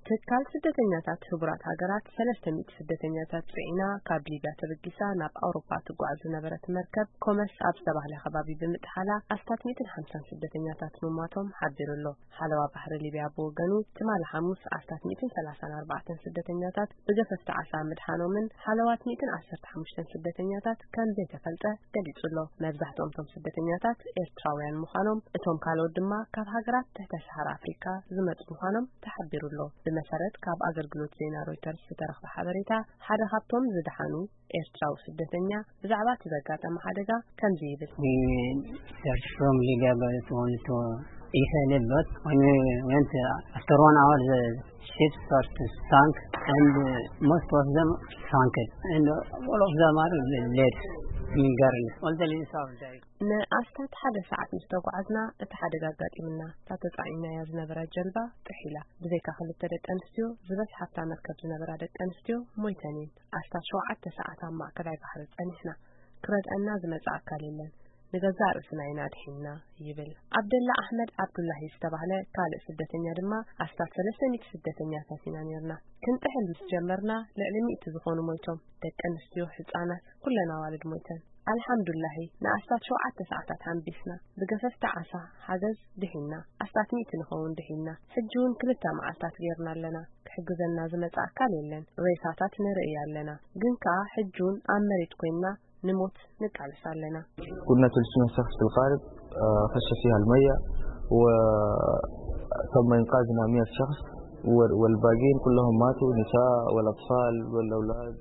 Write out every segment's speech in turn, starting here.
ትካል ስደተኛታት ህቡራት ሃገራት ሰለስተ ሚእቲ ስደተኛታት ጽዒና ካብ ሊብያ ተበጊሳ ናብ ኣውሮፓ ትጓዓዝ ዝነበረት መርከብ ኮመስ ኣብ ዝተባህለ ከባቢ ብምጥሓላ ኣስታት ሚእትን ሓምሳን ስደተኛታት ምሟቶም ሓቢሩ ኣሎ። ሓለዋ ባሕሪ ሊብያ ብወገኑ ትማሊ ሓሙስ ኣስታት ሚእትን ሰላሳን ኣርባዕተን ስደተኛታት ብገፈፍቲ ዓሳ ምድሓኖምን ሓለዋት ሚእትን ዓሰርተ ሓሙሽተን ስደተኛታት ከም ዘይተፈልጠ ገሊጹ ኣሎ። መብዛሕትኦም እቶም ስደተኛታት ኤርትራውያን ምዃኖም፣ እቶም ካልኦት ድማ ካብ ሃገራት ትሕተ ሰሃራ ኣፍሪካ ዝመጹ ምዃኖም ተሓቢሩ ኣሎ። ብመሰረት ካብ ኣገልግሎት ዜና ሮይተርስ ዝተረኽበ ሓበሬታ፣ ሓደ ካብቶም ዝደሓኑ ኤርትራዊ ስደተኛ ብዛዕባ እቲ ዘጋጠመ ሓደጋ ከምዚ ይብል። We search from Libya, but it's only to Israel, but when we went, uh, after one hour, the ship started to sink, and, uh, most of them sank, and, uh, all of them are dead, in Garni. All the ladies are dead. ንኣስታት ሓደ ሰዓት ምስ ተጓዓዝና እቲ ሓደጋ ኣጋጢምና። እታ ተጻዒናያ ዝነበረ ጀልባ ጥሒላ። ብዘይካ ክልተ ደቂ ኣንስትዮ ዝበዝሓ ኣብታ መርከብ ዝነበራ ደቂ ኣንስትዮ ሞይተን እየን። ኣስታት ሸውዓተ ሰዓት ኣብ ማእከላይ ባሕሪ ጸኒሕና። ክረድኣና ዝመጽእ ኣካል የለን። ንገዛእ ርእስና ኢና ኣድሒንና ይብል። ዓብደላ ኣሕመድ ዓብዱላሂ ዝተባህለ ካልእ ስደተኛ ድማ ኣስታት ሰለስተ ሚእቲ ስደተኛታት ኢና ነይርና። ክንጥሕል ምስ ጀመርና ልዕሊ ሚእቲ ዝኾኑ ሞይቶም። ደቂ ኣንስትዮ፣ ህጻናት፣ ኩለን ኣዋልድ ሞይተን። ኣልሓምዱላሂ ንኣስታት ሸውዓተ ሰዓታት ሓንቢስና። ብገፈፍቲ ዓሳ ሓገዝ ድሒና። ኣስታት ሚእቲ ንኸውን ድሒና። ሕጂ እውን ክልተ መዓልታት ጌርና ኣለና። ክሕግዘና ዝመጽእ ኣካል የለን። ሬሳታት ንርኢ ኣለና። ግን ከኣ ሕጂ እውን ኣብ መሬት ኮይንና ንሞት ንቃለስ ኣለና። كنا ثلاثمية شخص في القارب، آه، خش فيها المية، وتم إنقاذنا مية شخص، وال-، والباقيين كلهم ماتوا، نساء والأطفال والأولاد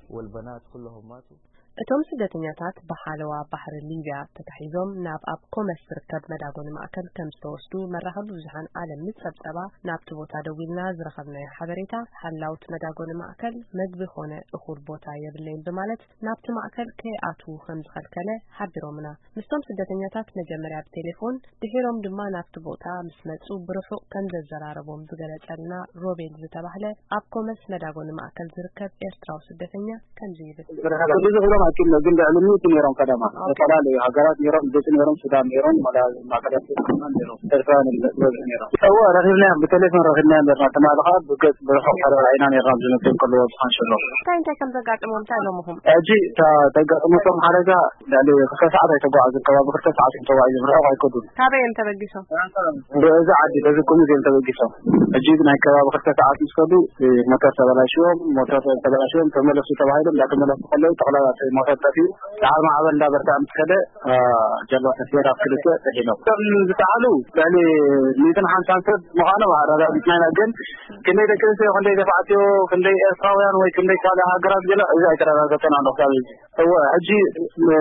والبنات كلهم ماتوا. እቶም ስደተኛታት ብሓለዋ ባሕሪ ሊብያ ተታሒዞም ናብ ኣብ ኮመስ ዝርከብ መዳጎኒ ማእከል ከም ዝተወስዱ መራኸቢ ብዙሓን ዓለም ምስ ጸብጸባ፣ ናብቲ ቦታ ደዊልና ዝረኸብናዮ ሓበሬታ፣ ሓላውት መዳጎኒ ማእከል መግቢ ኾነ እኹል ቦታ የብለይን ብማለት ናብቲ ማእከል ከይኣትዉ ከም ዝኸልከለ ሓቢሮምና። ምስቶም ስደተኛታት መጀመርያ ብቴሌፎን፣ ድሒሮም ድማ ናብቲ ቦታ ምስ መጹ ብርሑቕ ከም ዘዘራረቦም ዝገለጸልና ሮቤል ዝተባህለ ኣብ ኮመስ መዳጎኒ ማእከል ዝርከብ ኤርትራዊ ስደተኛ ከምዚ ይብል። ብዙሕ ኢሎም ኣይክእሉ፣ ግን ልዕሊ ሚእቲ ነይሮም። ቀደማ ዝተፈላለዩ ሃገራት ነይሮም፣ ግብጺ ነይሮም፣ ሱዳን ነይሮም፣ ወላ ማእከል ኣፍሪቃ ነይሮም፣ ኤርትራውያን ዝበዝሑ ነይሮም። እወ፣ ረኺብናዮም፣ ብቴሌፎን ረኺብናዮም ነርና። ትማሊ ኸኣ ብገጽ ብርሑቕ ተረኣኢና ነርና፣ ዝመጽኡ ከለዉ ኣብ ዝሓንሸሎም። እንታይ እንታይ ከም ዘጋጥሞም እንታይ ኢሎምኹም? ሕጂ እታ ተጋጥመቶም ሓደጋ ልዕሊ ክልተ ሰዓት ኣይተጓዓዙን፣ ከባቢ ክልተ ሰዓት እዮም ተጓዒዞም፣ ርሑቕ ኣይከዱን። ካበይ እዮም ተበጊሶም? በዚ ዓዲ፣ በዚ ኩምዝ እዮም ተበጊሶም። ሕጂ ናይ ከባቢ ክልተ ሰዓት ምስ ከዱ፣ እ፣ ሞተር ተበላሽዎም፣ ሞተር ተበላሽዎም፣ ተመለሱ ተባሂሎም፣ እንዳተመለሱ ከለዉ፣ ጠቕላላ እቲ ሞተር ጠፊኡ፣ ሰዓት ማዕበል እንዳበርትዐ ምስ ከደ፣ እ፣ ጀልባ ተስገር ኣብ ክልተ ጥሒሎም። እቶም ዝጠሓሉ ልዕሊ ሚእትን ሓምሳን ሰብ ምዃኖም ኣረጋጊጽና ኢና፣ ግን ክንደይ ደቂ ኣንስትዮ፣ ክንደይ ተባዕትዮ፣ ክንደይ ኤርትራውያን ወይ ክንደይ ካልእ ሃገራት ገለ፣ እዚ ኣይተረጋገጸን ኣሎ ክሳብ ሕጂ። እወ፣ ሕጂ፣ እ፣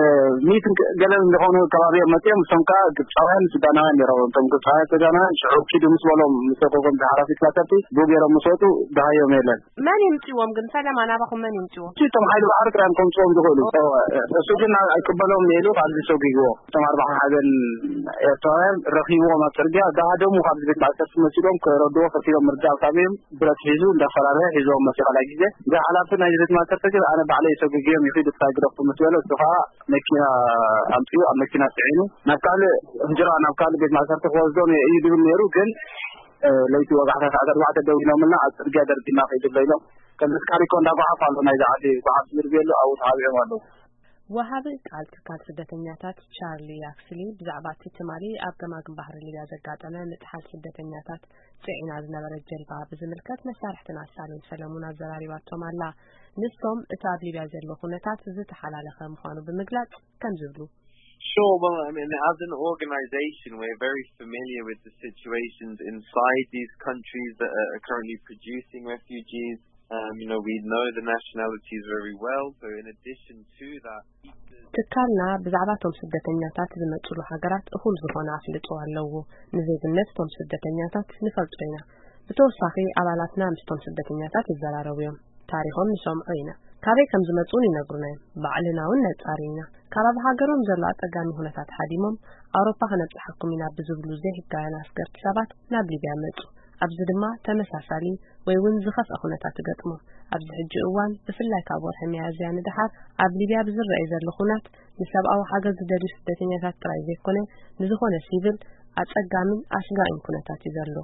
ሚእትን ገለን ዝኾኑ ከባቢ እዮም መጺኦም። እሶም ከኣ ግብጻውያን ሱዳናውያን ነይሮም። እቶም ግብጻውያን ሱዳናውያን ሽዑ ኪዱ ምስ በሎም፣ ምስ ለቀቖም፣ እቲ ሓራፊት ማሰርቲ፣ ብኡ ገይሮም ምስ ወጹ፣ ደሃዮም የለን። መን ይምጽዎም ግን? ፈለማ ናባኹም መን ይምጽዎም? እቲ እቶም ሓይሊ ባሕሪ ጥራይ እዮም ከምጽዎም ዝኽእሉ። እወ፣ እሱ ግን ኣይቅበሎም ኢሉ ካብዚ ሰጒግዎ። እቶም ኣርባዓ ሓዘን ኤርትራውያን ረኺብዎም ኣብ ጽርግያ፣ ደሃደሙ። ካብዚ ቤት ማእሰርቲ መሲሎም ክረድዎ ፈቲኖም፣ ምርዳእ ካብ እዮም። ብረት ሒዙ እንዳፈራረሀ ሒዝዎም መጺኡ። ካልኣይ ግዜ፣ እዚ ሓላፊ ናይ ቤት ማእሰርቲ ግን ኣነ ባዕለይ ሰጒግዮም ይኺድ፣ እታ ግደፉ ምስ በለ፣ እሱ ኸኣ መኪና ኣምጺኡ ኣብ መኪና ጽዒኑ ናብ ካልእ ህጅራ፣ ናብ ካልእ ቤት ማእሰርቲ ክወስዶም እየ እዩ ዝብል ነይሩ። ግን፣ እ፣ ለይቲ ወጋሕታ ሰዓት ኣርባዕተ ደዊሎምልና፣ ኣብ ጽርግያ ደርቢና ከይዱ ኣሎ ኢሎም። ከምዚ ካሪኮ እንዳጓሓፍ ኣሎ፣ ናይዚ ዓዲ ጓሓፍ ዝብል ኣሎ፣ ኣብኡ ተሓቢኦም ኣለዉ። ወሃቢ ቃል ትካል ስደተኛታት ቻርሊ ያክስሊ ብዛዕባ እቲ ትማሊ ኣብ ገማግም ባሕሪ ሊብያ ዘጋጠመ ምጥሓል ስደተኛታት ጽዒና ዝነበረት ጀልባ ብዝምልከት መሳርሕትና ሳሌም ሰለሙን ኣዘራሪባቶም ኣላ። ንሶም እቲ ኣብ ሊብያ ዘሎ ኩነታት ዝተሓላለኸ ምዃኑ ብምግላጽ ከም ዝብሉ። Sure, well, I mean, as an organization, we're very familiar with the situations inside these countries that are currently producing refugees. Um, you know, we know the nationalities very well, so in addition to that, ትካልና ብዛዕባ እቶም ስደተኛታት ዝመጽሉ ሃገራት እኹል ዝኾነ ኣፍልጦ ኣለዎ። ንዜግነት እቶም ስደተኛታት ንፈልጦ ኢና። ብተወሳኺ ኣባላትና ምስቶም ስደተኛታት ይዘራረቡ እዮም። ታሪኾም ንሰምዖ ኢና። ካበይ ከም ዝመጹ እውን ይነግሩና እዮም። ባዕልና እውን ነጻሪ ኢና። ካብ ኣብ ሃገሮም ዘሎ ኣጸጋሚ ኩነታት ሃዲሞም ኣውሮፓ ከነብጽሓኩም ኢና ብዝብሉ ዘይሕጋውያን ኣስገርቲ ሰባት ናብ ሊብያ መጹ። ኣብዚ ድማ ተመሳሳሊ ወይ እውን ዝኸፍአ ኩነታት ይገጥሞም። ኣብዚ ሕጂ እዋን ብፍላይ ካብ ወርሒ ሚያዝያ ንደሓር ኣብ ሊብያ ብዝረኣይ ዘሎ ኩናት ንሰብኣዊ ሓገዝ ዝደልዩ ስደተኛታት ጥራይ ዘይኮነ ንዝኾነ ሲቪል ኣጸጋምን ኣስጋኢን ኩነታት እዩ ዘሎ።